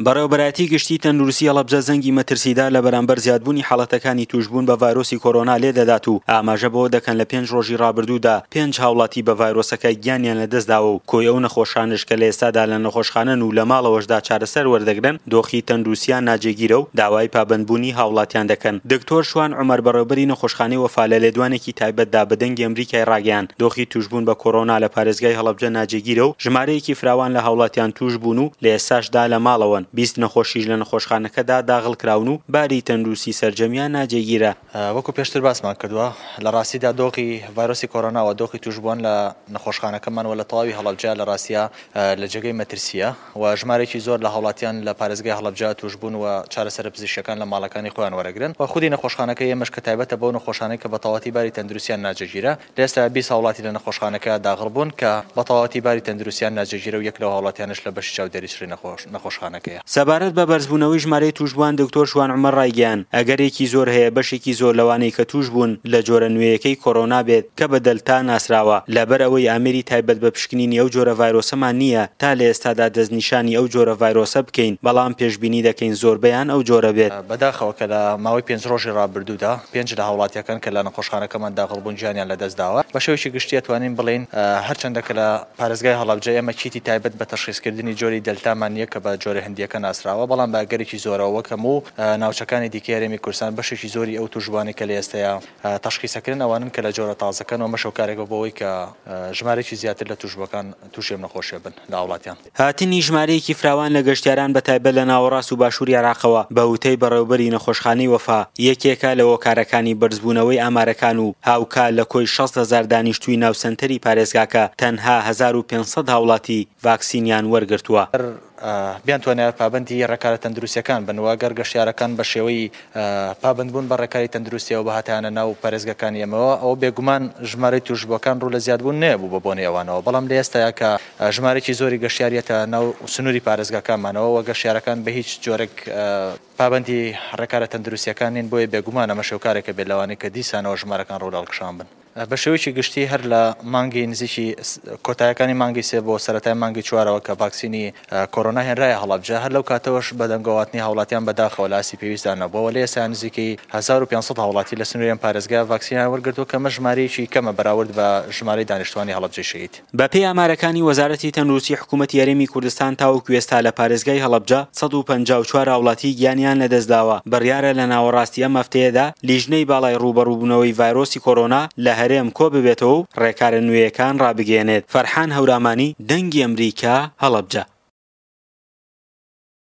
بەڕێوەبەرایەتی گشتی تەندروستی هەڵەبجە زەنگی مەترسیدار لە بەرامبەر زیادبوونی حاڵەتەکانی تووشبوون بە ڤایرۆسی کۆرۆنا لێدەدات و ئاماژە بەوە دەکەن لە پێنج ڕۆژی ڕابردوودا پێنج هاوڵاتی بە ڤایرۆسەکە گیانیان لەدەستداوە و کۆی ئەو نەخۆشانەش کە لە ئێستادا لە نەخۆشخانەن و لە ماڵەوەشدا چارەسەر وەردەگرن دۆخی تەندروستیان ناجێگیرە و داوای پابەندبوونی هاوڵاتیان دەکەن. دکتۆر شوان عومەر بەڕێوبەری نەخۆشخانەی وەفا لە لێدوانێکی تایبەتدا بە دەنگی ئەمریکای ڕاگەیاند دۆخی تووشبوون بە کۆرۆنا لە پارێزگای هەڵەبجە ناجێگیرە و ژمارەیەکی فراوان لە هاوڵاتیان تووشبوون و لە ئێستاشدا لە ماڵەوەن، 20 نەخۆشیش لە نەخۆشخانەکەدا داغڵکراون و باری تەندروستی سەرجەمیان ناجێگیرە. وەکو پێشتر باسمان کردووە، لە ڕاستیدا دۆخی ڤایرۆسی کۆرۆنا و دۆخی تووشبووان لە نەخۆشخانەکەمان و لە تەواوی هەڵەبجە لە ڕاستیا لە جێگەی مەترسییە و ژمارەیەکی زۆر لە هاوڵاتیان لە پارێزگای هەڵەبجە تووشبوون و چارەسەرە پزیشکییەکان لە ماڵەکانی خۆیان وەرەگرن و خودی نەخۆشخانەکەی ئێمەش کە تایبەتە بەو نەخۆشانەی کە بە تەواوەتی باری تەندروستیان ناجێگیرە لە ئێستایا 20 هاوڵاتی لە نەخۆشخانەکە داغڵ بوون کە بە تەواوەتی باری تەندروستیان ناجێگیرە و یەک لەو هاوڵاتیانەش لە بەشی چاودێری چڕی نەخۆشخانەکەیە. سەبارەت بە بەرزبوونەوەی ژمارەی تووشبووان دکتۆر شوان عومەر ڕایگەیاند، ئەگەرێکی زۆر هەیە بەشێکی زۆر لەوانەی کە تووشبوون لە جۆرە نوێیەکەی کۆرۆنا بێت کە بە دەلتا ناسراوە، لەبەر ئەوەی ئامێری تایبەت بە پشکنینی ئەو جۆرە ڤایرۆسەمان نییە تا لە ئێستادا دەستنیشانی ئەو جۆرە ڤایرۆسە بکەین، بەڵام پێشبینی دەکەین زۆربەیان ئەو جۆرە بێت. بەداخەوە کە لە ماوەی پێنج ڕۆژی ڕابردوودا پێنج لە هاوڵاتییەکان کە لە نەخۆشخانەکەمان داخڵ بوون گیانیان لەدەست داوە. بە شێوەیەکی گشتی ئەتوانین بڵێین هەرچەندە کە لە پارێزگای هەڵەبجە ئێمە کیتی تایبەت بە تەشخیسکردنی جۆری دەلتامان نییە کە بە جۆرە هندییەکە ناسراوە، بەڵام بە ئەگەرێکی زۆرەوە وەک هەموو ناوچەکانی دیکەی هەرێمی کوردستان بەشێکی زۆری ئەو تووشبووانەی کە لە ئێستەیا تەشخیسەکرێن ئەوانەن کە لە جۆرە تازەکەن و ئەمەش هۆکارێکە بۆ ئەوەی کە ژمارەیەکی زیاتر لە تووشبووەکان تووشی ئەم نەخۆشیە بن لە هاوڵاتیان. هاتنی ژمارەیەکی فراوان لە گەشتیاران بە تایبەت لە ناوەڕاست و باشووری عێراقەوە، بە وتەی بەڕێوەبەری نەخۆشخانەی وەفا، یەکێکە لە هۆکارەکانی بەرزبوونەوەی ئامارەکان و هاوکات لە کۆی 60,000 دانیشتووی ناو سەنتەری پارێزگاکە تەنها 1500 هاوڵاتی ڤاکسینیان وەرگرتووە. بیانتوانایە پابەندی ڕێکارە تەندروستییەکان بن و ئەگەر گەشتیارەکان بە شێوەی پابەندبوون بە ڕێکاری تەندروستییەوە بهاتایانە ناو پارێزگاکانی ئێمەوە ئەوە بێگومان ژمارەی تووشبووەکان ڕوو لە زیادبوون نەبوو بە بۆنەی ئەوانەوە، بەڵام لە ئێستایا کە ژمارەیەکی زۆری گەشتیار یەتە ناو سنووری پارێزگاکانمانەوە و گەشتیارەکان بە هیچ جۆرێک پابەندی ڕێکارە تەندروستییەکان نین، بۆیە بێگومان ئەمەش هۆکارێکە بێت لەوانەی کە دیسانەوە ژمارەکان ڕوو لە هەڵکشان بن. بە شێوەیەکی گشتی هەر لە مانگی نزیکی کۆتایەکانی مانگی سێ بۆ سەرەتای مانگی چوارەوە کە ڤاکسینی کۆرۆنا هێنرایە هەڵەبجە، هەر لەو کاتەوەش بەدەنگۆهاتنی هاوڵاتیان بەداخەوە لە ئاستی پێویستدا نەبووە و لە ئێستا نزیکەی 1500 هاوڵاتی لە سنووری ئەم پارێزگایە ڤاکسینیان وەرگرتووە کە ئەمە ژمارەیەکی کەمە بەراورد بە ژمارەی دانیشتووانی هەڵەبجەی شەهید. بەپێی ئامارەکانی وەزارەتی تەندروستی حکوومەتی هەرێمی کوردستان تاوەکو ئێستا لە پارێزگای هەڵەبجە 154 هاوڵاتی گیانیان لەدەستداوە، بڕیارە لە ناوەڕاستی ئەم هەفتەیەدا لیژنەی باڵای ڕووبەڕووبوونەوەی ڤایرۆسی کۆرۆنا لە هەرێم کۆببێتەوە و ڕێکارە نوێیەکان ڕابگەیەنێت. فەرحان هەورامانی، دەنگی ئەمریکا، هەڵەبجە.